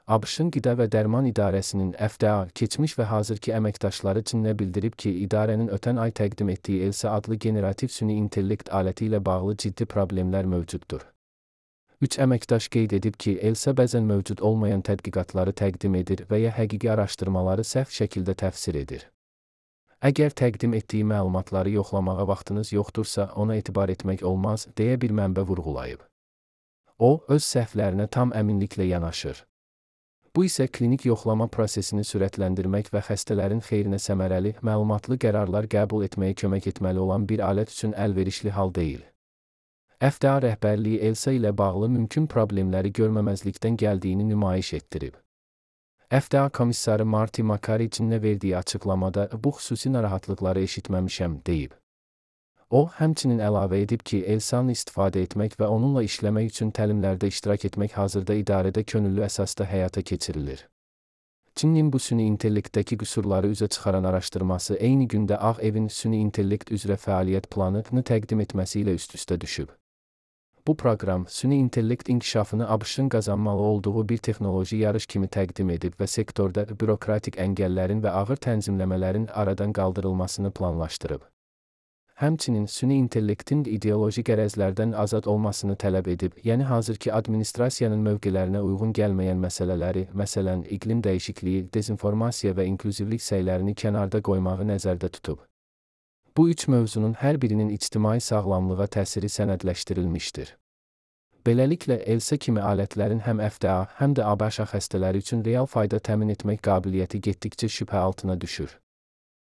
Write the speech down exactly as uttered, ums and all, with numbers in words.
ABŞ-ın Qida və Dərman İdarəsinin F D A keçmiş və hazırki əməkdaşları Çinnə bildirib ki, idarənin ötən ay təqdim etdiyi ELSA adlı generativ süni intellekt aləti ilə bağlı ciddi problemlər mövcuddur. Üç əməkdaş qeyd edib ki, ELSA bəzən mövcud olmayan tədqiqatları təqdim edir və ya həqiqi araşdırmaları səhv şəkildə təfsir edir. Əgər təqdim etdiyi məlumatları yoxlamağa vaxtınız yoxdursa, ona etibar etmək olmaz, deyə bir mənbə vurğulayıb. O, öz səhvlərinə tam əminliklə yanaşır. Bu isə klinik yoxlama prosesini sürətləndirmək və xəstələrin xeyrinə səmərəli, məlumatlı qərarlar qəbul etməyə kömək etməli olan bir alət üçün əlverişli hal deyil. F D A rəhbərliyi ELSA ilə bağlı mümkün problemləri görməməzlikdən gəldiyini nümayiş etdirib. F D A komissarı Marty Makary Çinnə verdiyi açıqlamada bu xüsusi narahatlıqları eşitməmişəm, deyib. O, həmçinin əlavə edib ki, ELSA-nı istifadə etmək və onunla işləmək üçün təlimlərdə iştirak etmək hazırda idarədə könüllü əsasda həyata keçirilir. Çinin bu süni intellektdəki qüsurları üzə çıxaran araşdırması eyni gündə Ağ Evin süni intellekt üzrə fəaliyyət planını təqdim etməsi ilə üst-üstə düşüb. Bu proqram, süni intellekt inkişafını ABŞ-ın qazanmalı olduğu bir texnoloji yarış kimi təqdim edib və sektorda bürokratik əngəllərin və ağır tənzimləmələrin aradan qaldırılmasını planlaşdırıb. Həmçinin süni intellektin ideoloji qərəzlərdən azad olmasını tələb edib, yəni hazırki administrasiyanın mövqelərinə uyğun gəlməyən məsələləri, məsələn, iqlim dəyişikliyi, dezinformasiya və inklüzivlik səylərini kənarda qoymağı nəzərdə tutub. Bu üç mövzunun hər birinin ictimai sağlamlığa təsiri sənədləşdirilmişdir. Beləliklə, ELSA kimi alətlərin həm F D A, həm də ABŞ xəstələri üçün real fayda təmin etmək qabiliyyəti getdikcə şübhə altına düşür.